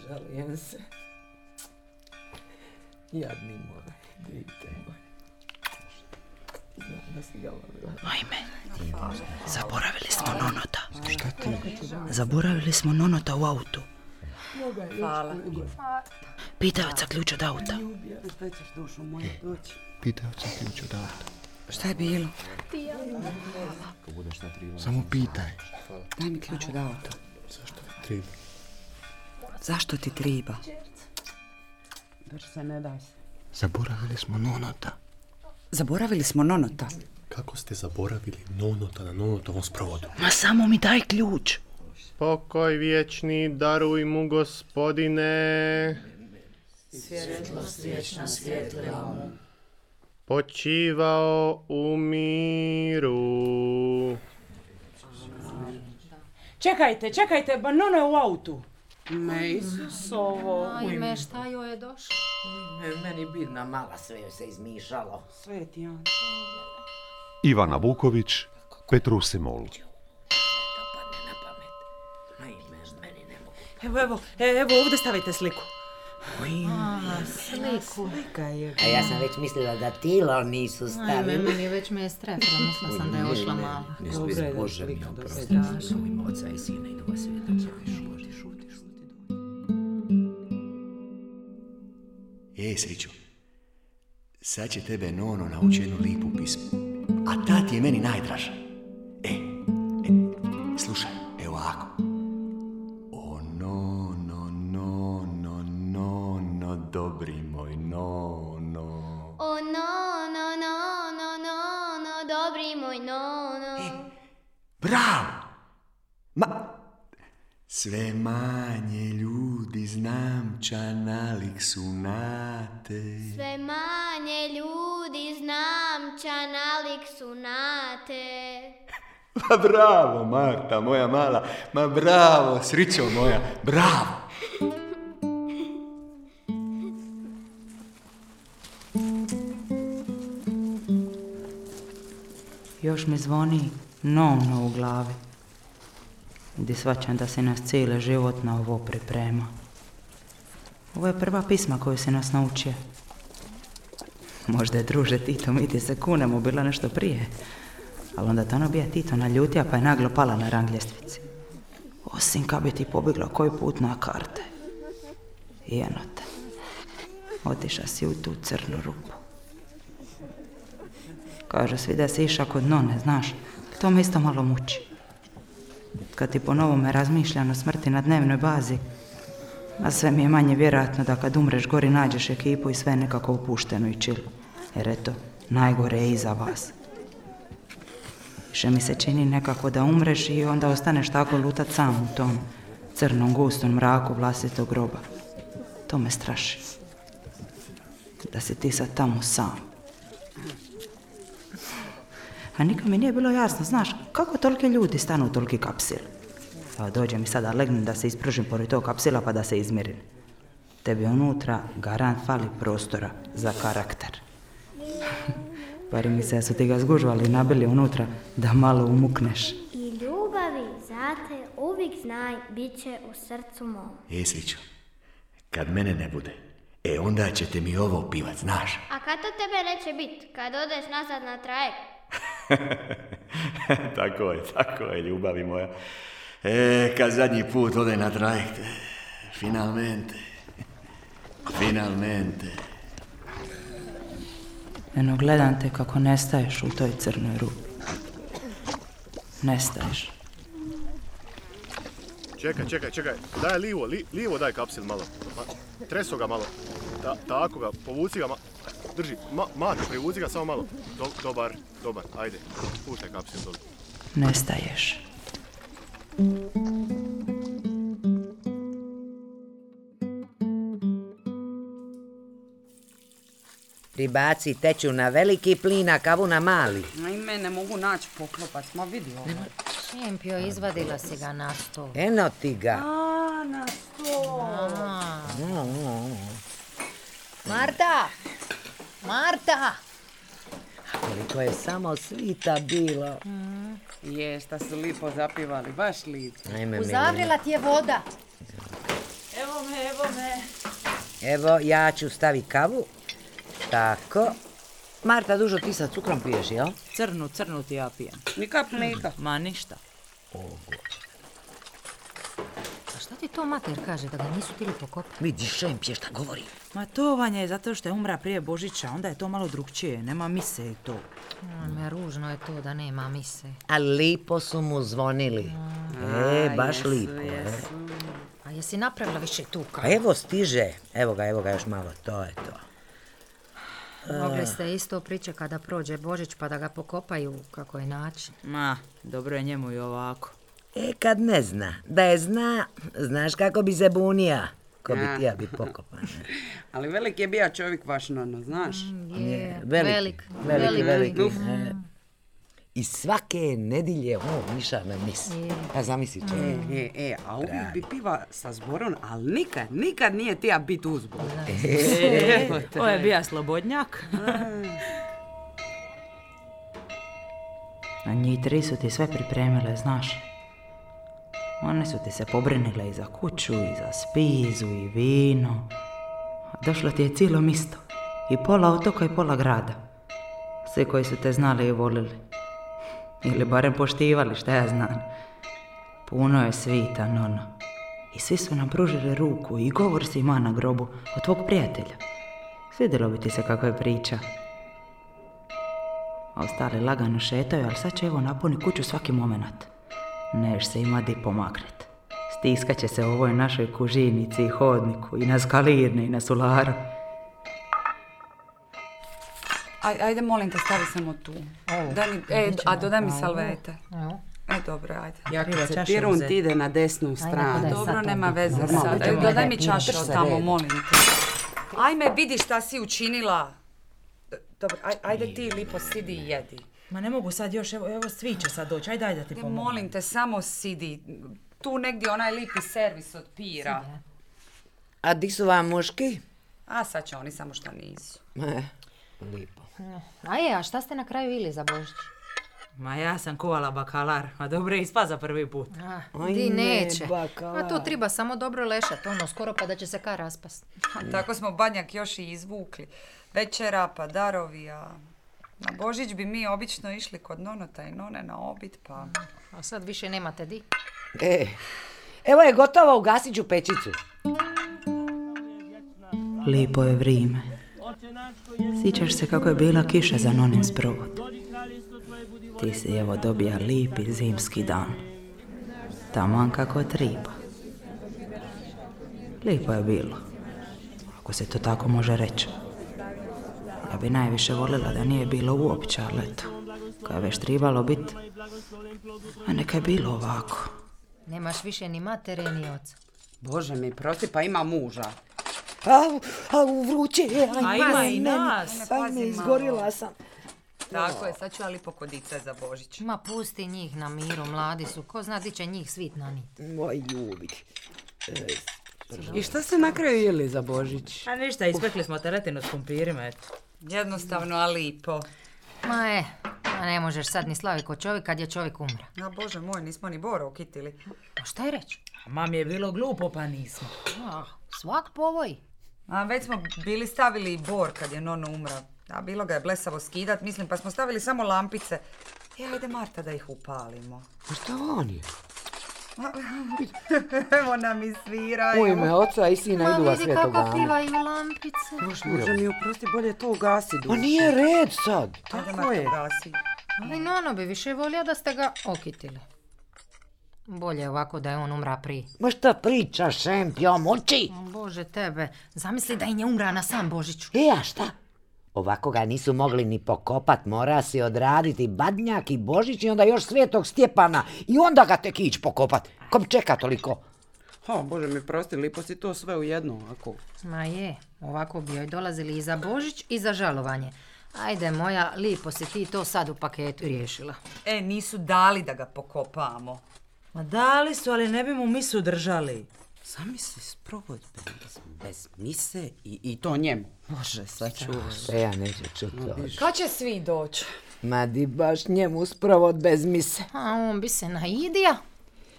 žalim se. Jadni moj, dite moj. Ajme, zaboravili smo nonota. Šta ti? Zaboravili smo nonota u autu. Hvala. Pitaj oca ključ od auta. Šta ćeš, dušo moja, doći? Pitaj oca ključ od auta. Šta je bilo? Samo pitaj. Daj mi ključ od auta. Zašto ti treba? Zašto ti treba? Drži se, ne daj se. Zaboravili smo nonota. Zaboravili smo nonota. Kako ste zaboravili nonota na nonotovom sprovodu? Ma samo mi daj ključ. Pokoj vječni daruj mu, Gospodine. Svjetlost vječna svjetlila mu. Počivao u miru. Čekajte, ba nono je u autu. Me Isusovo. Ajme, šta joj je došlo? Meni bidna mala, sve joj se izmišalo. Sveti Jan. Ivana Vuković, Petrusimol. Evo, ovdje stavite sliku. Sliku. A ja sam već mislila da tilo nisu Ajme, stavili. meni već me je strefilo, mislila sam da je ošla mala. Bože mi oprosti. Strašno. Oca i Sina i Duha Sveta. Sriću, sad će tebe Nono nauči jednu lipu pismu, a ta ti je meni najdraža. Slušaj, evo ovako. O Nono, Nono, Nono, dobri moj Nono. O Nono, Nono, Nono, dobri moj Nono. Bravo! Sve manje ljudi znamča nalik su na te. Sve manje ljudi znamča nalik su na te. Ma bravo, Marta, moja mala. Ma bravo, Srićo moja, bravo. Još mi zvoni nono u glavi. Gdje shvaćam da se nas cijeli život na ovo priprema. Ovo je prva pisma koju se nas naučio. Možda je, druže Tito, mi ti se kunemo bilo nešto prije. Ali onda to ono bija Tito naljutija pa je naglo pala na rang ljestvici. Osim kad bi ti pobjegla koji put na karte. I eno te. Otiša si u tu crnu rupu. Kaže svi da si iša kod none, znaš. To me isto malo muči. Kad ti po novome razmišljam o smrti na dnevnoj bazi, a sve mi je manje vjerojatno da kad umreš gori nađeš ekipu i sve nekako opušteno i chill. Jer eto, najgore je iza vas. Više mi se čini nekako da umreš i onda ostaneš tako lutat sam u tom crnom gustom mraku vlastitog groba. To me straši. Da si ti sad tamo sam. A nikad mi nije bilo jasno, znaš, kako toliki ljudi stanu u toliki kapsil. Pa dođe mi sada legnem da se ispružim pored tog kapsila pa da se izmirim. Tebi unutra garant fali prostora za karakter. Pari mi se da su ti ga zgužvali i nabili unutra da malo umukneš. I ljubavi zate uvijek znaj bit će u srcu mom. Srićo, kad mene ne bude, onda ćete mi ovo pivat, znaš. A kad to tebe neće bit? Kad odeš nazad na trajekt? Tako je, ljubavi moja. Kad zadnji put ode na trajekt, finalmente. Eno, gledam te kako nestaješ u toj crnoj rupi. Nestaješ. Čekaj. Daj lijevo daj kapsil malo. Treso ga malo. Tako ga, povuci ga malo. Drži, Mate, privuci ga samo malo. Dobar, ajde. Puštaj kapsil dole. Nestaješ. Ribaci teču na veliki plin, a kavu na mali. Ajme, ne mogu naći poklopac, ma vidi ovo. Šimpio, izvadila si ga na stol. Eno ti ga. A, na stol. Marta! Koliko je samo svita bilo. Šta su lipo zapivali, baš lipo. Uzavrila ti je voda. Evo bome. Evo, ja ću staviti kavu. Tako. Marta, dužo ti sa cukrom piješ, jel? Crnu ti ja pijem. Ni kap mlijeka. Ma ništa. A šta ti to mater kaže, da ga nisu tili pokopati? Vidiš što im pije šta govori. Ma to Vanja je zato što je umra prije Božića, onda je to malo drugčije, nema mise i to. Ružno je to da nema mise. A lipo su mu zvonili. Baš lipo. A jesi napravila više tu kavu? Evo stiže. Evo ga još malo. To je to. Mogli ste isto pričekati da prođe Božić pa da ga pokopaju kako je način. Ma, dobro je njemu i ovako. Kad ne zna. Da je zna, znaš kako bi se bunija. Ko bi tija bi pokopan. Ali velik je bija čovjek vaš nono, znaš? Je, Velik. velik. I svake nedilje miša na mis. Pa zamisli čovjek. A uvijek bi piva sa zborom, ali nikad nije tija bit u zboru. Ovo je bija slobodnjak. A njih tri su ti sve pripremile, znaš. One su ti se pobrinile i za kuću, i za spizu, i vino. Došlo ti je cijelo misto. I pola otoka i pola grada. Svi koji su te znali i volili. Ili barem poštivali, šta ja znam. Puno je svita, nono. I svi su nam pružili ruku i govor si ima na grobu od tvog prijatelja. Svidjelo bi ti se kako je priča. A ostali lagano šetaju, ali sad će evo napuni kuću svaki moment. Neš se ima di pomaknet. Stiskat će se u ovoj našoj kužinici i hodniku, i na skalirne, i na sularu. Ajde, molim te, stavi samo tu. A dodaj mi salvete. Dobro, ajde. Ja kad se pirun ti ide na desnu stranu. Dobro, nema veze sad. Dodaj mi čašu tamo, molim te. Ajme, vidi šta si učinila. Dobro, ajde ti lipo sidi i jedi. Ma ne mogu sad još, evo svi će sad doći, ajde da ti pomogu. Molim te, samo sidi. Tu negdje onaj lipi servis od pira. A di su vam muški? A sad će oni, samo što nisu. Lipo. A šta ste na kraju ili za Božić? Ma ja sam kuvala bakalar, a dobro je ispa za prvi put. Di neće. A to treba samo dobro lešat, skoro pa da će se kar raspast. Tako smo banjak još i izvukli. Večera pa darovi, a na Božić bi mi obično išli kod nonota i none na obid, pa... A sad više nemate di? Evo je gotovo, ugasit ću pečicu. Lipo je vrijeme. Sjećaš se kako je bila kiša za nonin sprovod. Ti si evo dobija lipi zimski dan. Taman kako triba. Lipo je bilo. Ako se to tako može reći. Ja bi najviše volila da nije bilo uopće, ali eto. Kad je već tribalo biti. A neka je bilo ovako. Nemaš više ni matere ni oca. Bože mi, prosti, pa ima muža. Au, vruće je. A ima i nas. Ajme, izgorila sam. Tako je, sad ću ja lipo kodice za Božić. Ma pusti njih na miru, mladi su. Ko zna di će njih svit nanit. Moj ljubi. I šta ste na kraju jeli za Božić? A ništa, ispekli smo teletinu s kumpirima, eto. Jednostavno, a lipo. Ma ne možeš sad ni slaviti kod čovjek kad je čovjek umra. A Bože moj, nismo ni Bora ukitili. A šta je reći? Mami je bilo glupo pa nismo. Svak povoj. A već smo bili stavili i Bor kad je nono umra. A bilo ga je blesavo skidat, mislim, pa smo stavili samo lampice. Ajde Marta da ih upalimo. A šta on je? Evo nam i sviraju. U ime oca i sina idu vas svetog dana. Ma vidi kako pivaju lampice. Može mi oprosti, bolje to ugasi dušu. Pa nije red sad. Tako je. Ali nono bi više volio da ste ga okitili. Bolje ovako da je on umra prije. Ma šta pričaš, šempio, moći? Bože tebe, zamisli da i nje umra na sam Božiću. A šta? Ovako ga nisu mogli ni pokopat, mora si odraditi badnjak i Božić i onda još Svetog Stjepana i onda ga tek ići pokopat. Ko bi čeka toliko? Bože mi prosti, lipo si to sve u jedno ovako. Ma je, ovako bi joj dolazili i za Božić i za žalovanje. Ajde moja, lipo si ti to sad u paketu riješila. Nisu dali da ga pokopamo. Ma dali su, ali ne bi mu misu držali. Zamisli sprovod bez mise i to njemu. Bože, sad čuvaš. Sve ja neću čuti. Kad će svi doći? Ma di baš njemu sprovod bez mise. A on bi se naidija.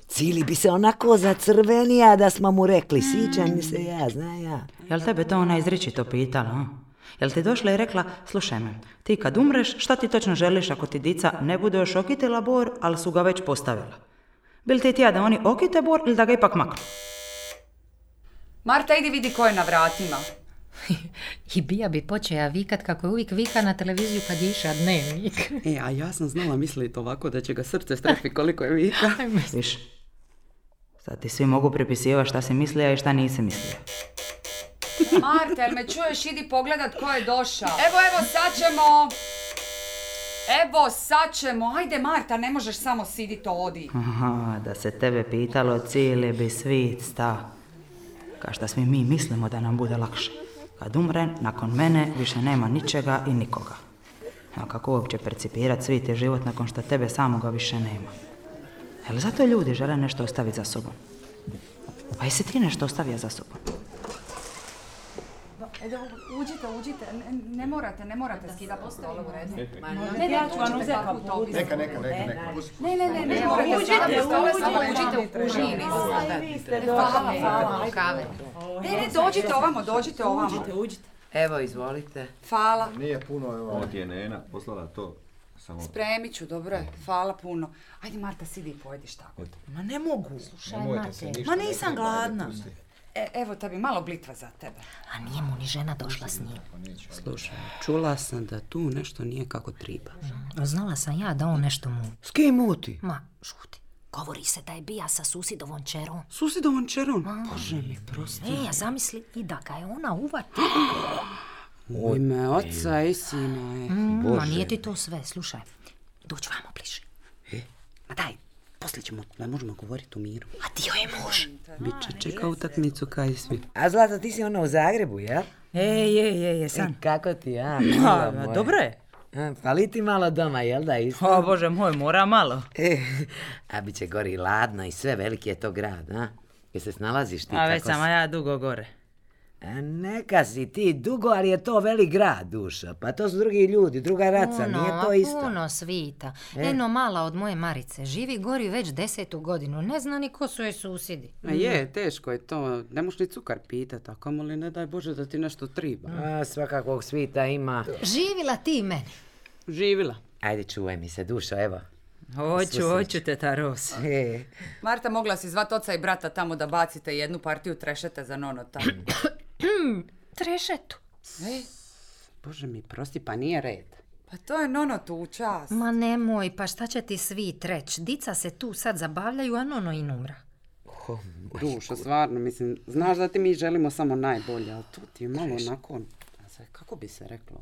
Cili bi se onako zacrvenija da smo mu rekli, sićam mi se ja, zna ja. Jel tebe to ona izričito pitala, a? Jel ti došla i rekla, slušaj me, ti kad umreš, šta ti točno želiš ako ti dica ne bude još okitila bor, ali su ga već postavila? Bil ti tija da oni okite bor ili da ga ipak maknu? Marta, idi vidi ko je na vratima. I Bija bi počeja vikat kako je uvijek vika na televiziju kad je iša dnevnik. A ja sam znala misliti ovako da će ga srce strefi koliko je vika. Viš, sad ti svi mogu pripisivati šta si mislija i šta nisi mislija. Marta, jel me čuješ? Idi pogledat ko je došao. Evo, sad ćemo. Ajde, Marta, ne možeš samo sidit, odi. Aha, da se tebe pitalo, cijeli bi svit sta. Ka šta svi mi mislimo da nam bude lakše. Kad umre, nakon mene više nema ničega i nikoga. A kako uopće percipirat svit je život nakon što tebe samoga više nema? Jel zato ljudi žele nešto ostaviti za sobom? A jesi ti nešto ostavio za sobom? Uđite, ne morate skidati po stolu u redu. Ne, ja ću vam uzeti kapu. Neka. Ne morate skidati po stolu, samo uđite u kužini. Hvala, kave. Ne, dođite ovamo. Evo, izvolite. Hvala. Nije puno, evo. Ovo ti je Nena poslala to. Samo... Spremit ću, dobro je. Hvala puno. Ajde, Marta, sidi i pojediš tako. Ma ne mogu. Slušaj, Mate. Ma nisam gladna. Evo tebi malo blitva za tebe. A nije mu ni žena došla s njim. Slušaj, čula sam da tu nešto nije kako triba. Znala sam ja da on nešto mu... S kim muti? Ma, šuti. Govori se da je bija sa susidovom čerom. Susidovom čerom? Bože mi, prosti. Zamisli i da ga je ona uvati. U ime oca i sina je. Ma nije ti to sve, slušaj. Dođi vamo bliže. Ma daj, poslije ćemo, ne možemo govoriti u miru. A ti joj je muž. Biće čeka utakmicu kaj i svi. A Zlato, ti si ono u Zagrebu, jel? Jesam. Kako ti, ja? Dobro je. Fali ti malo doma, jel da isto? O Bože moj, mora malo. A bit će gori ladno i sve, veliki je to grad, a? Jel se snalaziš ti? A već sam ja dugo gore. Neka si ti dugo, ali je to velik grad, duša. Pa to su drugi ljudi, druga raca, nije to isto. Puno svita. Eno mala od moje Marice živi gori već 10. godinu. Ne zna ni ko su joj susjedi. Teško je to. Ne možeš ni cukar pitat, a kamoli ne daj Bože da ti nešto triba. Svakakvog svita ima. Živila ti meni. Živila. Ajde, čuvaj mi se, dušo, evo. Hoću, teta Ros. Marta, mogla si zvat oca i brata tamo da bacite jednu partiju trešete za nonota. Trešetu? Bože mi, prosti, pa nije red. Pa to je nonotu u čas. Ma nemoj, pa šta će ti svi treć? Dica se tu sad zabavljaju, a nono i numra. Dušo, stvarno, mislim, znaš da ti mi želimo samo najbolje, ali tu ti je malo onako, kako bi se reklo,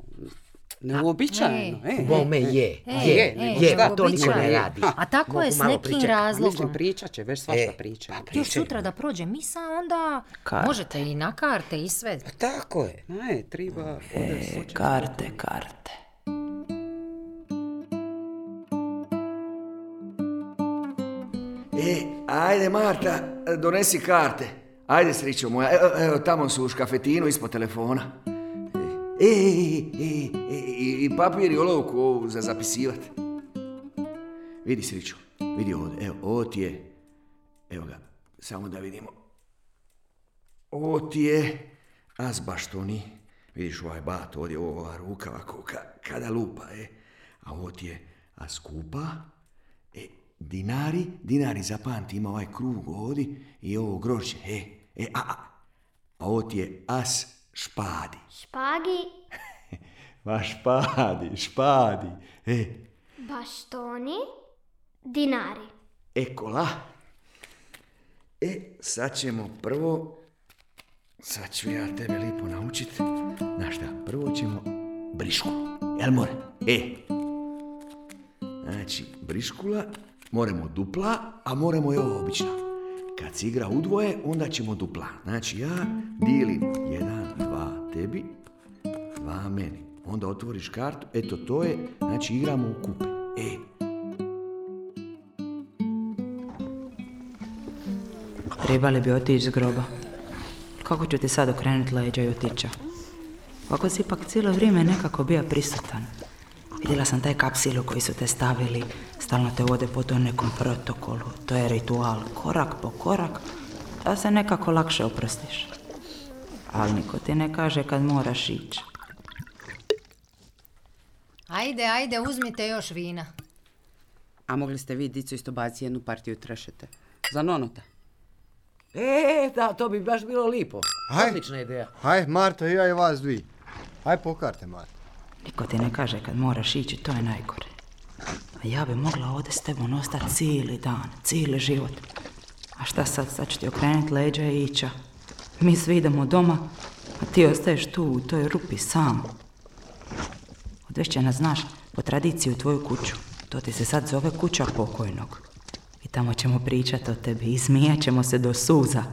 neuobičajeno. Bome je, to niko ne radi. A tako je s nekim razlogom. Mislim, pričat će, već svašta priča. Još sutra da prođe misa, onda možete i na karte i sve. Tako je. Treba... Karte. Ajde, Marta, donesi karte. Ajde, srićo moja, evo tamo su u škafetinu ispod telefona. I papir i olovku ovu za zapisivat. Vidi, sriću, vidi ovdje, evo, ovo ti je, evo ga, samo da vidimo. Ovo ti je azbaštoni, vidiš ovaj bat, ovdje ova ruka ovako, kada lupa, a ovo ti je askupa, dinari, zapamti, ima ovaj krug ovdje i ovo grožđe, a ovo ti je as špadi. Špagi. Ma špadi. Baštoni, dinari. Ekola. Sad ćemo prvo, sad ću ja tebe lipo naučit. Znaš šta, prvo ćemo briškulu. Jel more? Znači, briškula, moramo dupla, a moramo i ovo obična. Kad se igra udvoje, onda ćemo dupla. Znači, ja dijelim 1, 2 tebi, 2 meni. Onda otvoriš kartu, eto to je, znači igramo u kupe. Trebali bi otići s groba. Kako ću ti sad okrenuti leđa i otića? Kako si ipak cijelo vrijeme nekako bio prisutan. Vidjela sam taj kapsil u koji su te stavili Stalno te vode po tom nekom protokolu. To je ritual, korak po korak, da se nekako lakše oprostiš. Ali niko ti ne kaže kad moraš ići. Ajde, uzmite još vina. A mogli ste vi, dico, isto baciti jednu partiju trešete? Za nonota. Da, to bi baš bilo lipo. Odlična ideja. Haj, Marta, ja i vas dvi. Haj, pokažite, Marta. Niko ti ne kaže kad moraš ići, to je najgore. A ja bi mogla ovdje s tebom ostati cijeli dan, cijeli život. A šta sad? Sad ću ti okrenuti leđa i ića. Mi svi idemo doma, a ti ostaješ tu u toj rupi sam. Odvešće nas, znaš, po tradiciji u tvoju kuću. To ti se sad zove kuća pokojnog. I tamo ćemo pričati o tebi i smijat ćemo se do suza.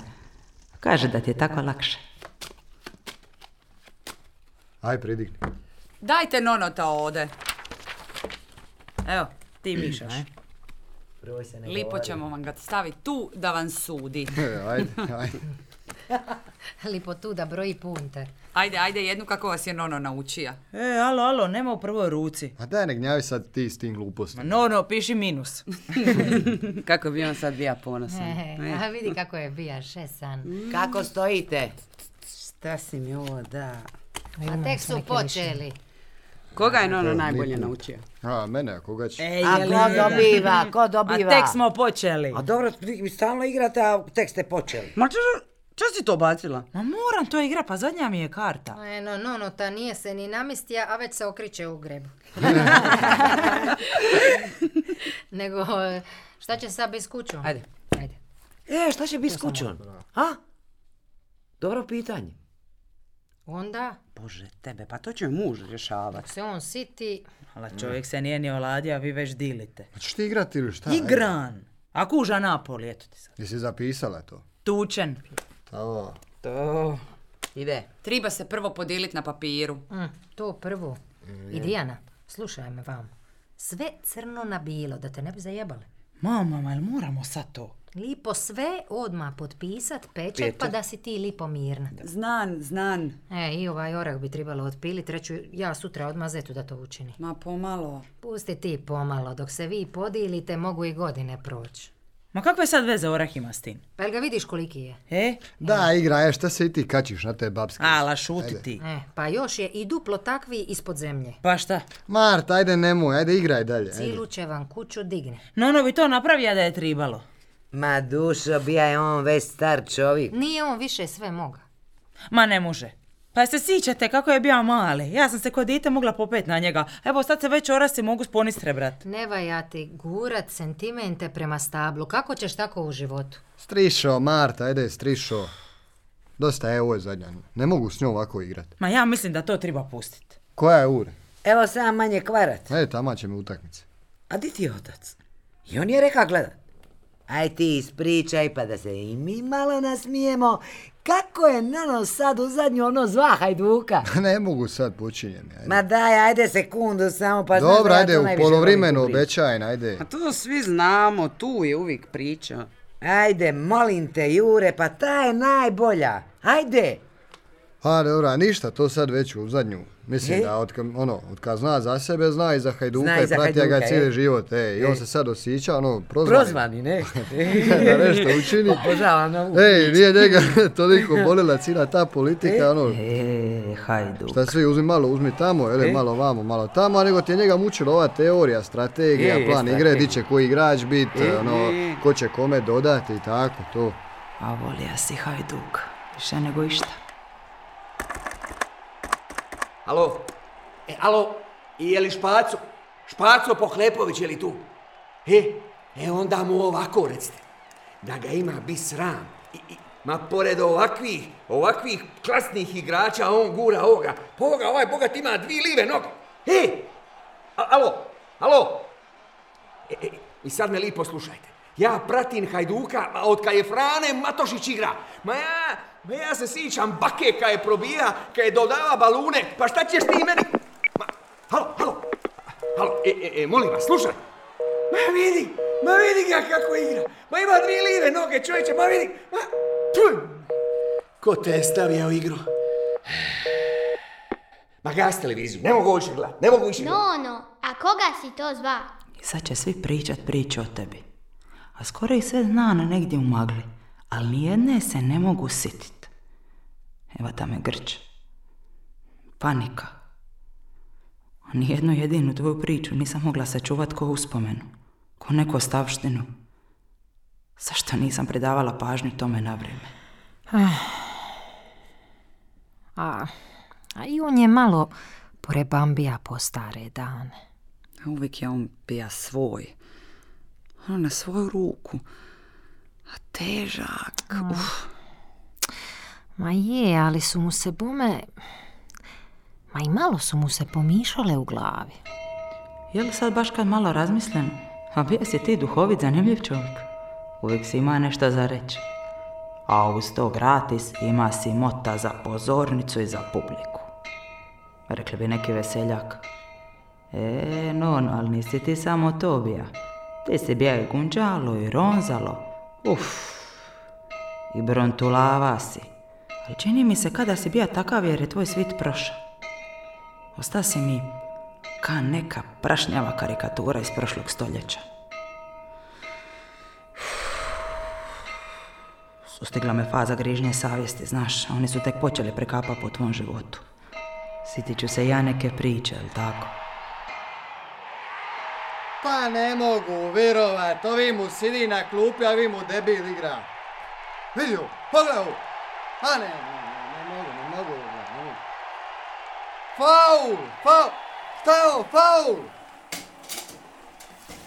Kaže da ti je tako lakše. Aj, pridigni. Dajte nonota ovdje. Evo, ti mišaš. Lipo ćemo vam ga staviti tu da vam sudi. Ajde. Lipo tu da broji punte. Ajde, jednu kako vas je Nono naučija. Alo, nema u prvoj ruci. A daj, ne gnjavi sad ti s tim glupostima. Nono, piši minus. Kako bi on sad bija ponosan. A vidi kako je bija šesan. Kako stojite? Šta si mi ovo da... A tek su počeli. Koga je Nono najbolje naučio? A, mene, a koga će? A ko dobiva? A tek smo počeli. A dobro, vi stalno igrate, a tek ste počeli. Ma čo si to bacila? Ma moram to igra, pa zadnja mi je karta. No, ta nije se ni namistija, a već se okriče u grebu. Nego, šta će sad biti s kućom? Ajde. Šta će biti s kućom? A? Dobro pitanje. Onda? Bože, tebe, pa to će muž rješavati. Dok se on siti... Ali čovjek se nije ni oladio, a vi već dilite. A ćeš ti igrati ili šta? Igran! A kuža Napoli, eto ti sad. Jesi zapisala to? Tučen. To... Ide. Treba se prvo podijeliti na papiru. To prvo. I Dijana, slušaj me vam. Sve crno na bilo, da te ne bi zajebale. Mama, jel moramo sad to? Lipo sve odmah potpisat, pečat, pa da si ti lipo mirna. Znan. I ovaj orah bi trebalo otpiliti, reću ja sutra odmah Zetu da to učini. Ma pomalo. Pusti ti pomalo, dok se vi podilite mogu i godine proći. Ma kakve sad veze orah ima s tim? Pa jel ga vidiš koliki je? Da, igra, šta se i ti kačiš na te babske? Ala, šuti ti. Pa još je i duplo takvi ispod zemlje. Pa šta? Marta, ajde nemoj, ajde igraj dalje. Cilu će vam kuću digne. Nono bi to napravio da je tribalo. Ma dušo, bija je on već star čovjek. Nije on više sve moga. Ma ne može. Pa se sjećate kako je bio mali. Ja sam se kod dite mogla popet na njega. Evo sad se već orasi mogu sponistre, brat. Ne vaja ti gurat sentimente prema stablu. Kako ćeš tako u životu? Strišo, Marta, ajde strišo. Dosta je, ovo je zadnja. Ne mogu s njom ovako igrat. Ma ja mislim da to treba pustiti. Koja je ura? Evo sam manje kvarat. Tamo će mi utakmice. A di ti je otac? I on je rekao gledat. Aj ti ispričaj pa da se i mi malo nasmijemo. Kako je Nono sad u zadnju ono zva Hajduka? Ne mogu sad počinjem. Ma daj, ajde sekundu samo pa... Dobro, ajde u polovremenu obećaj, ajde. A to svi znamo, tu je uvijek priča. Ajde, molim te, Jure, pa ta je najbolja. Ajde. A dobro, ništa, to sad već u zadnju. Mislim da od kad zna za sebe, zna i za Hajduka i pratija ga cijeli život. I on se sad osjeća, prozvani, ne? Da nešto učini. Obožavam ovu. Nije njega toliko bolila cijela ta politika, Hajduk. Šta svi uzmi tamo, malo vamo, malo tamo, nego ti je njega mučila ova teorija, strategija, plan igre, di će koji igrač biti, ko će kome dodati i tako, to. A volija si Hajduk, više nego išta. Alo, je li Špaco Pohlepović, je li tu? Onda mu ovako recite, da ga ima bi sram. Ma pored ovakvih klasnih igrača, on gura ovoga. Ovaj bogat ima 2 live noge. Alo. I sad me lipo slušajte. Ja pratim Hajduka od kad je Frane Matošić igra. Ma ja se sjećam bake kad je probija, kad je dodava balune. Pa šta ćeš ti meni? Halo. Molim vas, slušaj. Ma vidi ga kako igra. Ma ima 2 live noge, čovječe, ma vidi. Ko te je stavio u igru? Ma gas televiziju, ne mogu više gledati. No, a koga si to zva? I sad će svi pričat priče o tebi. A skoro ih sve zna na negdje u magli. Ali nijedne se ne mogu sitit. Evo ta me grč. Panika. A nijednu jedinu tvoju priču nisam mogla sačuvat ko uspomenu. Ko neku ostavštinu. Zašto nisam predavala pažnju tome na vrijeme? A i on je malo prebambija po stare dane. Uvijek je on bija svoj. Ono na svoju ruku. A težak. Ma je, ali su mu se bome... Ma i malo su mu se pomišale u glavi. Je li sad baš kad malo razmislim? A bio si ti duhovit, zanimljiv čovjek. Uvijek si ima nešto za reći. A uz to gratis ima si mota za pozornicu i za publiku. Rekli bi neki veseljak. No, ali nisi ti samo to bija. Ti si bija i gunđalo i ronzalo. I brontulava si. Ali čini mi se kada si bija takav jer je tvoj svit prošao. Osta si mi ka neka prašnjava karikatura iz prošlog stoljeća. Sustigla me faza grižnje savjesti, znaš, oni su tek počeli prekapa po tvom životu. Sitit ću se ja neke priče, jel tako? Pa ne mogu virovat, ovi mu sidi na klupi, a vi mu debil igra. Vidi ovo, pogledaj ovo. A ne mogu. Faul! Šta je ovo, faul?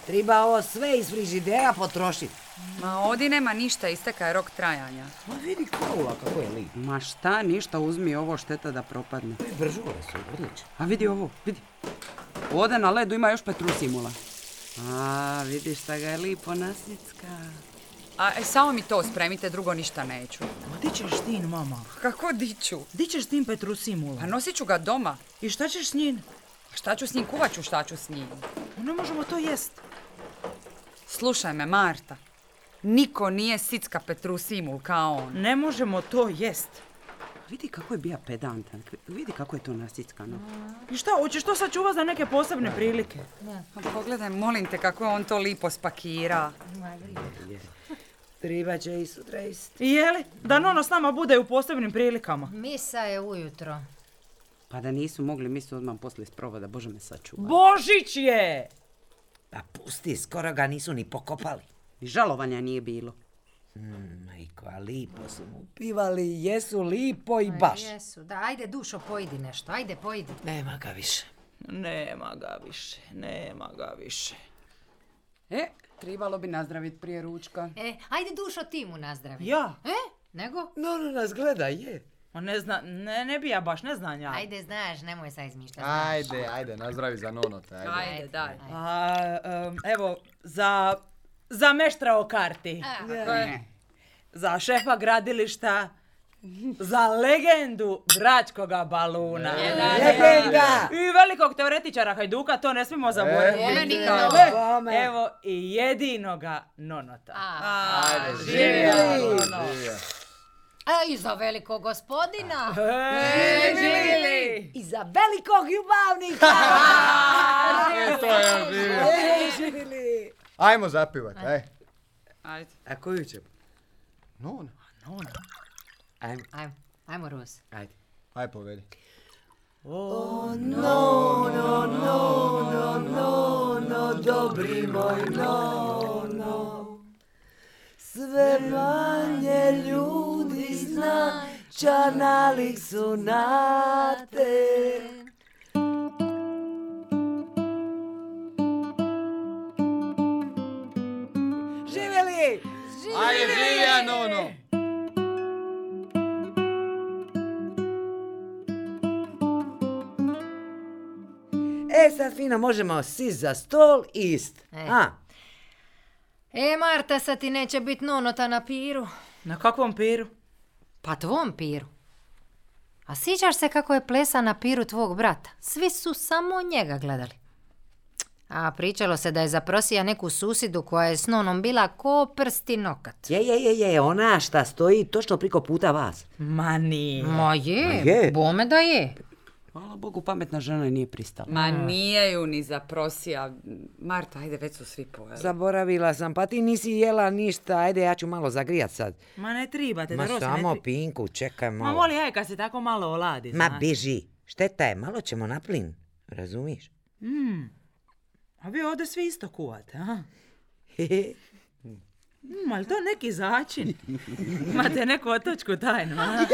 Treba ovo sve iz frižidera potrošiti. Ma ovdje nema ništa, isteka je rok trajanja. Ma vidi faula kako je lijep. Ma šta, ništa, uzmi ovo, šteta da propadne. Bržure su, odlično. A vidi ovo, vidi. Ovdje na ledu ima još petrusimula. A, vidiš šta ga je lipo nasicka. Samo mi to spremite, drugo ništa neću. Ma di ćeš ti, mama? Kako diću? Di ćeš s tim petrusimula? A nosit ću ga doma. I šta ćeš s njim? Šta ću s njim, kuvat ću šta ću s njim. Ne možemo to jest. Slušaj me, Marta. Niko nije sicka petrusimul kao on. Ne možemo to jest. Vidi kako je bija pedantan, vidi kako je to nasickano. I šta, hoćeš to sačuvat za neke posebne prilike? Pa pogledaj, molim te kako on to lipo spakira. Treba će i sutra isti. I jeli? Da Nono s nama bude u posebnim prilikama. Misa je ujutro. Pa da nisu mogli, mi su odmah poslije sprovoda, Bože me sačuvaj. Božić je! Pa pusti, skoro ga nisu ni pokopali. I žalovanja nije bilo. Majko, a lipo su mu pivali, jesu lipo i baš. Jesu, da, ajde Dušo, pojedi nešto, ajde pojedi. Nema ga više. Nema ga više. Trebalo bi nazdraviti prije ručka. Ajde Dušo, ti mu nazdravi. Ja? Nego? No, nas gleda, je. Ne bi ja baš, ne znam ja. Ajde, znaš, nemoj sad izmišljati. Ajde, nazdravi za Nonota. Ajde, daj. Evo, za meštra o karti. Za šefa gradilišta. Za legendu Bračkoga baluna. Legenda! I velikog teoretičara Hajduka, to ne smijemo zaboraviti. Evo i jedinoga Nonota. Ajde, živjeli! I za velikog gospodina. Živjeli! I za velikog ljubavnika! Živjeli! Ajmo zapivat, aj. Ajde. A koju će? Nona. Ajmo, Ros. Ajde. Aj, povedi. No, dobri moj Nono. Sve manje ljudi zna, čanalik su na te. Živjeli! Ajde, živja, Nono! Sad fino možemo sist za stol i ist. Marta, sad ti neće biti Nonota na piru. Na kakvom piru? Pa tvom piru. A sjećaš se kako je plesa na piru tvog brata? Svi su samo njega gledali. A pričalo se da je zaprosija neku susidu koja je s Nonom bila ko prsti nokat. Je, ona šta stoji točno priko puta vas. Ma nije. Ma je, bome da je. Hvala Bogu, pametna žena nije pristala. Ma nije ju ni zaprosija. Marta, ajde, već su svi pojeli. Zaboravila sam, pa ti nisi jela ništa. Ajde, ja ću malo zagrijat sad. Ma ne tribate, Ma samo Pinku, čekaj malo. Ma voli, kad se tako malo oladi, znaš. Ma biži, šteta je, malo ćemo na plin. Razumiješ? A vi ovdje svi isto kuvate, a? Ali to neki začin. Imate neku otočku tajnu, a?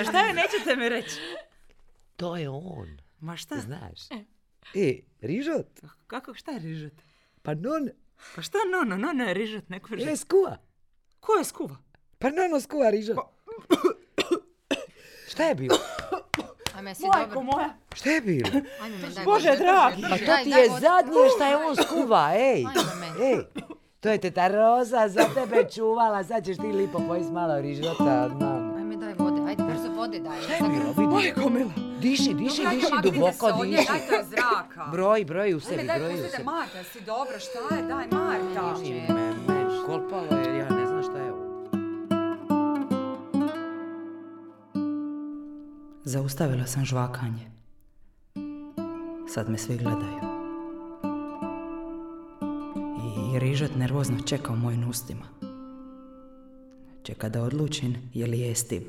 A šta je, nećete mi reći? To je on. Ma šta? Znaš. Rižot. Kako, šta je rižot? Pa non. Pa šta nono? Nono je rižot, neko rižot. Skuva. Ko je skuva? Pa nono skuva rižot. Šta je bilo? Ajme si Majko dobro. moja. Šta je bilo? Ajme me, daj Bože vode. dragi. Pa to ti je zadnje šta je on skuva, ej. Ej. To je teta Roza za tebe čuvala, sad ćeš ti lipo pojist malo rižota od mama. Ajme daj vode, ajde brzo vode daj. Šta je bilo, vidi? Majko mila. Diši, duboko diši. Dajte joj zraka. Broj u sebi, Ajme, broj u daj, pustite sebi. Marta, si dobro, šta je? Daj, Marta. Kolpalo je, ja ne znam šta je ovo. Zaustavila sam žvakanje. Sad me svi gledaju. I rižot nervozno čeka u mojim ustima. Čeka da odlučim je li jestiv.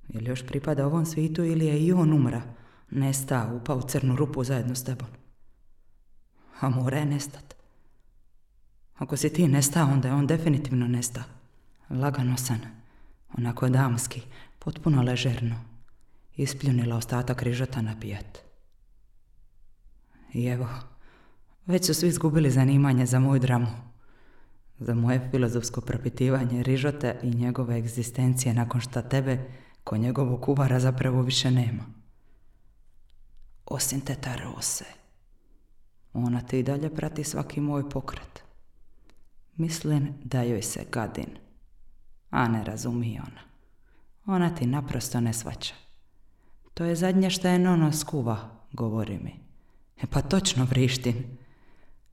Je li još pripada ovom svijetu ili je i on umra, nesta, upao u crnu rupu zajedno s tebom. A mora je nestat. Ako si ti nesta, onda je on definitivno nesta. Laganosan, onako damski, potpuno ležerno. Ispljunila ostatak rižota na pijet. I evo, već su svi izgubili zanimanje za moju dramu. Za moje filozofsko propitivanje rižote i njegove egzistencije nakon što tebe, ko njegovog kuvara, zapravo više nema. Osim teta Rose. Ona te i dalje prati svaki moj pokret. Mislim da joj se gadim. A ne razumije ona. Ona ti naprosto ne shvaća. To je zadnje što je nono skuva, govori mi. Pa točno vrištim.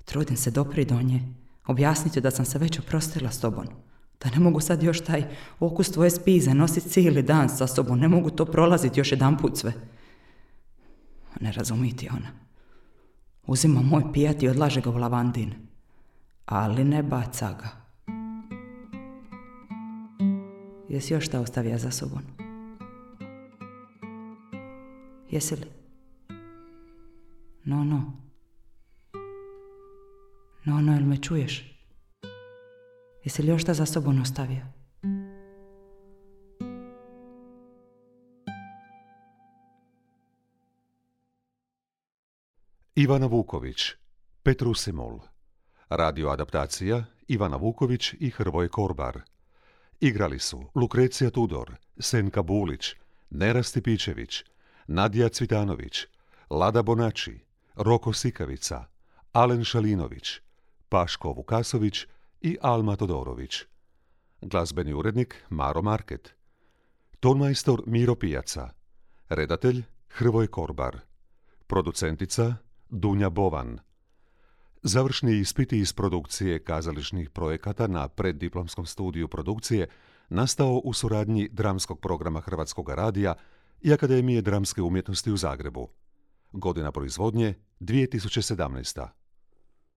Trudim se dopri do nje, objasniti da sam se već oprostila s tobom. Da ne mogu sad još taj okus tvoje spize nositi cijeli dan sa sobom. Ne mogu to prolaziti još jedanput sve. Ne razumiti ona. Uzima moj pijat i odlaže ga u lavandin. Ali ne baca ga. Jesi još šta ostavio za sobom? Jesi li? No, jel me čuješ? Jesi li još šta za sobom ostavio? Ivana Vuković, Petrusimol. Radio adaptacija Ivana Vuković i Hrvoje Korbar. Igrali su Lukrecija Tudor, Senka Bulić, Nera Stipičević, Nadija Cvitanović, Lada Bonači, Roko Sikavica, Alen Šalinović, Paško Vukasović i Alma Todorović. Glazbeni urednik Maro Market. Tonmajstor Miro Pijaca. Redatelj Hrvoje Korbar. Producentica Dunja Bovan. Završni ispiti iz produkcije kazališnih projekata na preddiplomskom studiju produkcije nastao u suradnji dramskog programa Hrvatskog radija i Akademije dramske umjetnosti u Zagrebu. Godina proizvodnje 2017.